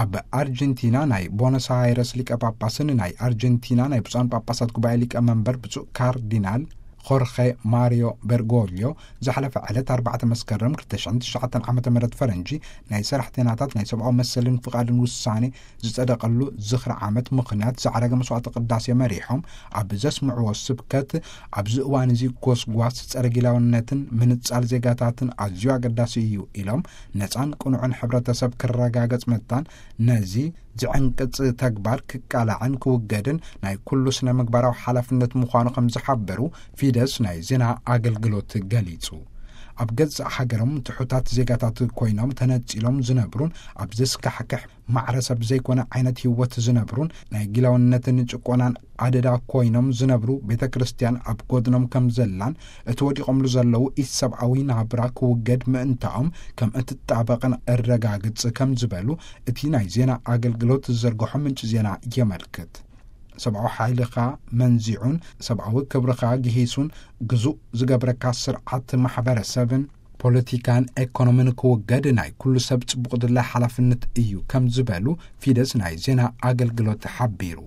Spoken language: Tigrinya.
ኣብ ኣርጀንቲና ናይ ቦነስ ኣይረስ ሊቀ ጳጳስን ናይ ኣርጀንቲና ናይ ብፁዓን ጳጳሳት ጉባኤ ሊቀ መንበር ብፁዕ ካርዲናል ኾርኸ ማሪዮ በርጎልዮ ዝሓለፈ ዕለት ኣርባዕተ መስከረም ክልተ ሽሕን ትሽዓተን ዓመተ ምህረት ፈረንጂ ናይ ሰራሕተኛታት ናይ ሰብኣዊ መሰልን ፍቓድን ውሳኔ ዝጸደቐሉ ዝኽሪ ዓመት ምኽንያት ዝዓረገ መስዋዕተ ቅዳሴ መሪሖም፣ ኣብ ዘስምዕዎ ስብከት፣ ኣብዚ እዋን እዚ ጎስጓስ ጸረ ጊላውነትን ምንጻል ዜጋታትን ኣዝዩ ኣገዳሲ እዩ ኢሎም፣ ነጻን ቅኑዕን ሕብረተሰብ ክረጋገጽ መታን ነዚ ዝዕንቅጽ ተግባር ክቃላዕን ክውገድን ናይ ኩሉ ስነ ምግባራዊ ሓላፍነት ምዃኑ ከም ዝሓበሩ ፊደስ ናይ ዜና ኣገልግሎት ገሊጹ። ኣብ ገዛእ ሃገሮም ትሑታት ዜጋታት ኮይኖም ተነጺሎም ዝነብሩን ኣብ ዘስካሕክሕ ማዕረሰብ ዘይኮነ ዓይነት ህይወት ዝነብሩን ናይ ጊላውነትን ጭቆናን ኣደዳ ኮይኖም ዝነብሩ ቤተ ክርስቲያን ኣብ ጎድኖም ከም ዘላን እቲ ወዲቖምሉ ዘለዉ ኢሰብኣዊ ናብራ ክውገድ ምእንታኦም ከም እትጣበቕን እረጋግጽ ከም ዝበሉ እቲ ናይ ዜና ኣገልግሎት ዝዘርግሖ ምንጪ ዜና የመልክት። ሰብኣዊ ሓይልኻ መንዚዑን ሰብኣዊ ክብርኻ ግሂሱን ግዙእ ዝገብረካ ስርዓት ማሕበረሰብን ፖለቲካን ኤኮኖሚን ክውገድ ናይ ኩሉ ሰብ ጽቡቕ ድላይ ሓላፍነት እዩ ከም ዝበሉ ፊደስ ናይ ዜና ኣገልግሎት ሓቢሩ።